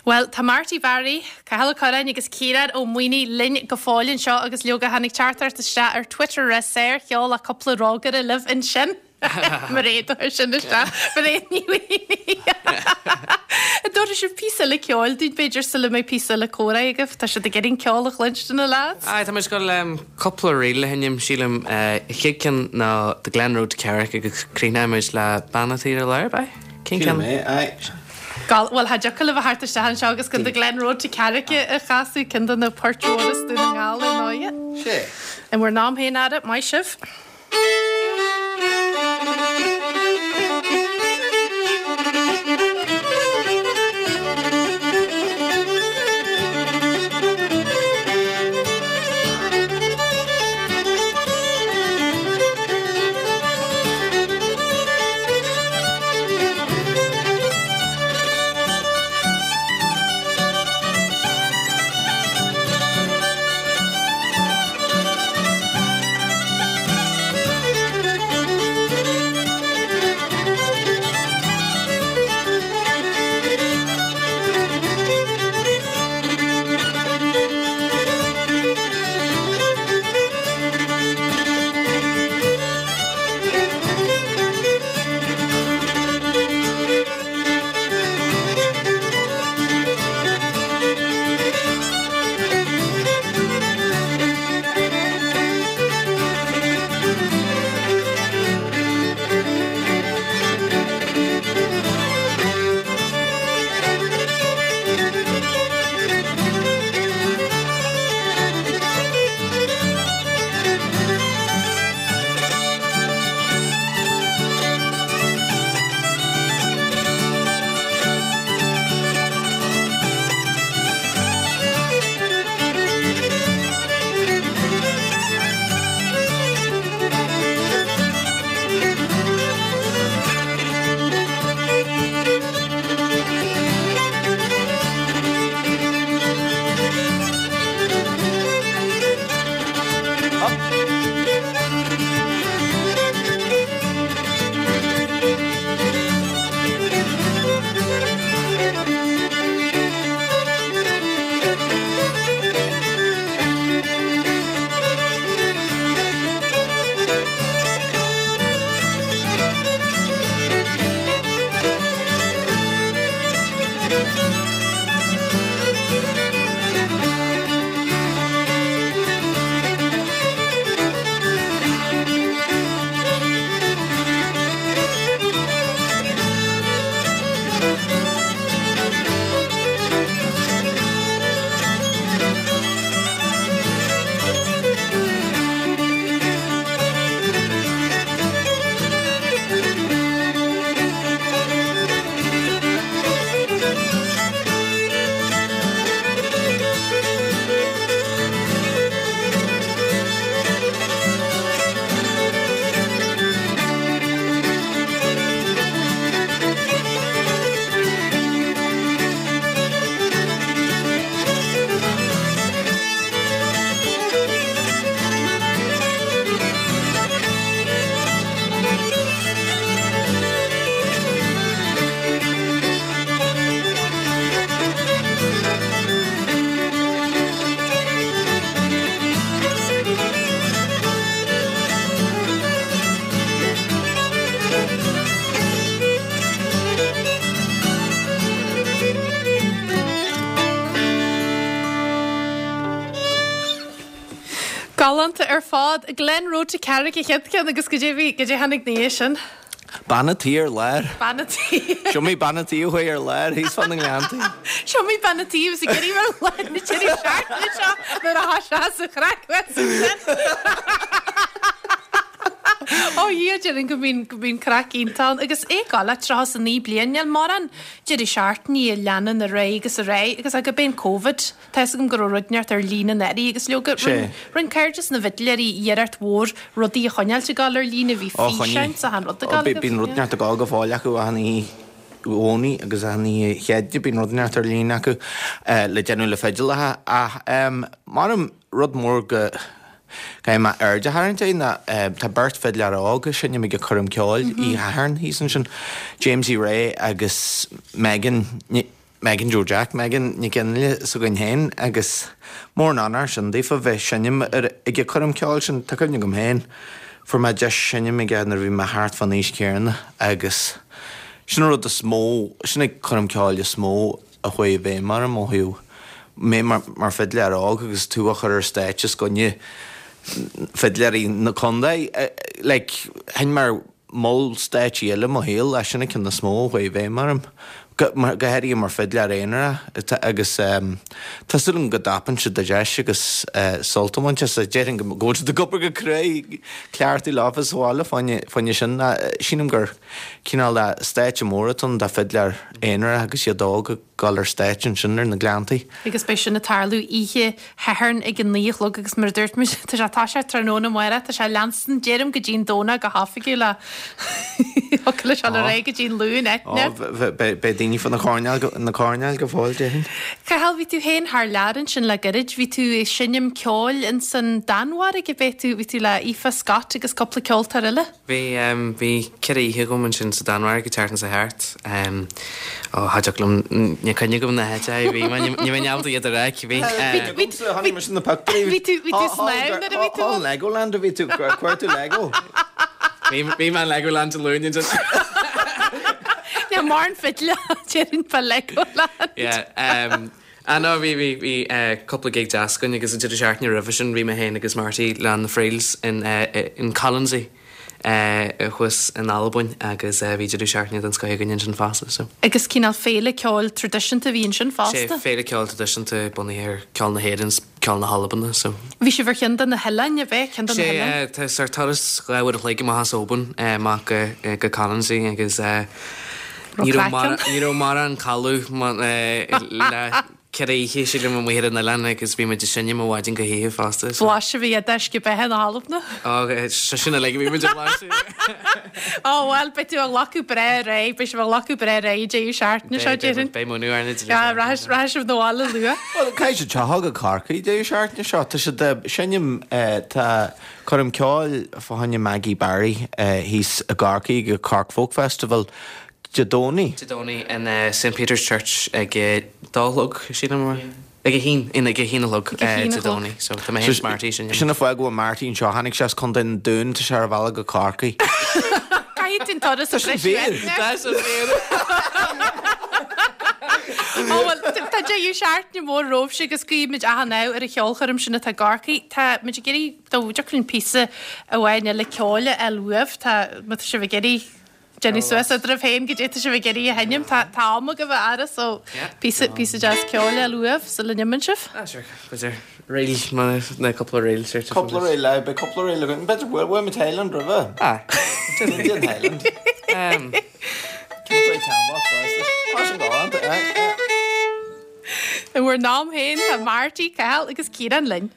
Bhuel, tá Marty Barry, Cathal Ó Curráin agus Ciarán Ó Maonaigh linn go fóill anseo agus leoga tháinig teachtaireacht isteach ar Twitter a rá sárcheol ach cúpla rógaire libh ansin. Mairéad a chuir sin isteach. Mairéad Ní Mhaonaigh. An dtabharfaidh sibh píosa eile ceoil dúinn b'fhéidir sula mbeidh píosa eile comhrá agaibh? Tá siad ag iarraidh an ceol a chluinstin na lads. Aye, tá muid ag dul cúpla ríl a sheinm, sílim. Chéad ceann ná The Glen Road to Carrick agus críochnóidh muid le Bean a' Tí ar Lár, ab ea? Cén ceann? Sílim é, aye. Gall, bhuel, cha dtiocfadh libh a theacht isteach anseo agus gan The Glen Road to Carrick a chasadh, ceann de na poirt mhóra as Dún na nGall ar ndóighe. Sé. In bhur n-am féin, ara, maith sibh. Galánta ar fad. Glen Road to Carrick an chéad cheann agus goidé bhí, goidé tháinig 'na dhiaidh sin? Bean a' tí ar lár. Bean a' tí. Seo mé bean a' tí a chuaigh ar lár thíos fá na ngleanntaí. Seo mé bean a' tí a bhí ag iarraidh ar lár na deireadh seachtaine seo nuair atá sé sa chraic uait ansin. Ó Dhia, déarfainn go mbíonn, go mbíonn craic iontach ann agus é ag gabháil le 39 bliain, níl mórán deireadh seachtainí a leanann ar aghaidh agus ar aghaidh agus gurb é an Covid. Tá fhios agam go raibh rud inteacht ar líne anuraidh agus leoga, Sé. rinne Cairdeas na bhFidléirí iarracht mhór rudaí a choinneáilt ag gabháil ar líne, bhí Ó, choinnigh. físeáin 's achan rud ag gabháil agaibh. Bíonn rud inteacht ag gabháil go fóill acu achan oíche Dhomhnaigh agus achan oíche Chéadaoine, bíonn rud inteacht ar líne acu le déanamh le fidileacha ach measaim rud mór go gcaithfidh mé aird a tharraingt air ná tá beirt fidléir óg a seinneann ag an choirm ceoil oíche Shathairn thíos ansin, Jamesie Ray agus Megan. Megan Joe Jack, Megan Nic Fhionnghaile s'againn féin agus mór an onóir sin daofa bheith seinm ar ag an choirm ceoil sin. Tá cuimhne agam féin, fuair mé deis seinm aige nuair a bhí mé thart fán aois chéanna agus sin an rud is mó, sin an coirm ceoil is mó a chuaigh i bhfeidhm orm ó thaobh mé mar fidléir óg agus tú á chur ar stáitse os coinne fidléirí na contae. Like, sheinn mé ar moll stáitsí eile i mo shaol, ach sin an ceann is mó a chuaigh i bhfeidhm orm, go háirithe mar fidléir aonarach, agus tá súil agam go dtapann siad an deis agus sult a bhaint as. Déarfainn go bhfuil siad ag obair go cruaidh, cleachtadh leofa sa bhaile fá choinne sin. Sílim gur cineál de stáitse mór atá ann do fidléir aonarach agus iad óg ag dul ar stáitse ansin ar na Gleanntaí. Agus beidh sin ag tarlú oíche Shathairn ag a 9 a chlog agus mar a dúirt muid, tá sé ag toiseacht tráthnóna amárach, tá sé ag leanstan, deirim go dtí an Domhnach go hoifigiúil ach thiocfadh leis dul ar aghaidh go dtí an Luan, Eithne. Ó, beidh daoine fá na coirnéil, na coirnéil go fóill, déarfainn. Cathal, bhí tú féin thar lear ansin le gairid, bhí tú ag seinm ceoil ins an Danmhairg, ab é tú, bhí tú le Aoife Scott agus cúpla ceoltóir eile? Bhí, bhí 4 oíche agam ansin sa Danmhairg an tseachtain seo thart. Ó, cha dtiocfadh liom, níl cuimhne agam na háiteacha a bhí mé, ní bheinn ábalta iad a rá cibé. Bhí agamsa, chonaic mise na pictiúirí. Bhí tú, bhí tú snámh nuair a bhí tú ann? Legoland a bhí tú, chuir tú Lego. Bhí, bhí mé in Legoland Dé Luain ansin. Níl mórán fidle, déarfainn fá Legoland. Yeah, ah no, bhí, bhí, bhí cúpla gig deas againn agus an deireadh seachtaine roimhe sin bhí mé féin agus Marty le na Friels in, in Colonsay thuas in Albain agus bhí deireadh seachtaine den scoth againn ansin fosta, so. Agus cineál féile ceoil traidisiúnta a bhí ansin fosta? Sé, féile ceoil traidisiúnta bunaithe ar ceol na hÉireann 's ceol na hAlban, so. Bhí sibh ar cheann de na hoileáin, ab ea? Ceann de na hoileáin? Sé, tá sórt turas 2 uair a chloig amach as Oban amach go, go Colonsay agus Ní raibh mórán codladh le 4 oíche, sílim, amuigh ar an oileán agus bhí muid ag seinm ó mhaidin go hoíche fosta. Blaiseadh a bhí d'uisce beatha na hAlban. Ó, sin uilig a bhí muid a bhlaiseadh. Ó, bhuel, beidh tú ag glacadh breá ar aghaidh, beidh sibh ag glacadh breá ar aghaidh an deireadh seachtaine seo, déarfainn. Beidh múineadh orainn an deireadh seachtaine. Rachaidh sibh 'na bhaile luath. Bhuel, caithfidh siad teacht go Corcaigh deireadh seachtaine seo. Tá siad ag seinm, tá Coirm ceoil fá choinne Maggie Barry thíos i gCorcaigh ag an Cork Folk Festival Dé Domhnaigh. Dé Domhnaigh in St Peter's Church ag a dó a chlog, sílim, ag a haon, in ag a haon a chlog Dé Domhnaigh. So tá mé féin is Marty sin. Sin an fáth go bhfuil Marty anseo, tháinig sé as Contae an Dúin, tá sé ar a bhealach go Corcaigh. Caithfidh tú an turas a Tá sin fíor. Tá sin fíor. Ó bhuel, tá deireadh seachtaine mór romhaibhse agus guímid achan ádh ar an cheolchoirm sin atá i gCorcaigh. Tá muid ag iarraidh dó dtiocfadh linn píosa amháin eile ceoil a fháil uaibh. Tá, má tá sibh ag iarraidh déanamh suas eadraibh féin goidé tá sibh ag iarraidh a sheinm, tá, tá am agaibh a fheara so píosa, píosa deas ceoil a fháil uaibh sula n-imíonn sibh. Ah sure, b'fhéidir ríl, má, na cúpla ríl, sure. Cúpla ríl, aye, beidh cúpla ríl againn. B'fhéidir bhfuil, bhfuil muid Highland roimhe? Ah. Déan Highland. Cén faoi teanbach, fosta? Tá sin galánta, aye, aye. I bhur n-am féin tá Marty, Cathal agus Ciarán linn.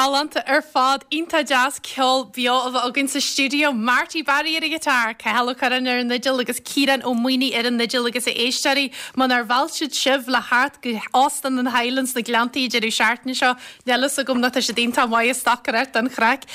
Galánta ar fad, iontach deas ceol beo a bheith againn sa stiúideo. Marty Barry ar an ghiotár, Cathal Ó Curráin ar an fhidil agus Ciarán Ó Maonaigh ar an fhidil agus a éisteoirí, munar mheall siad sibh le theacht go Óstán an Highlands sna Gleanntaí an deireadh seachtaine seo, níl fhios agam nó tá siad iontach maith ag stocaireacht don chraic.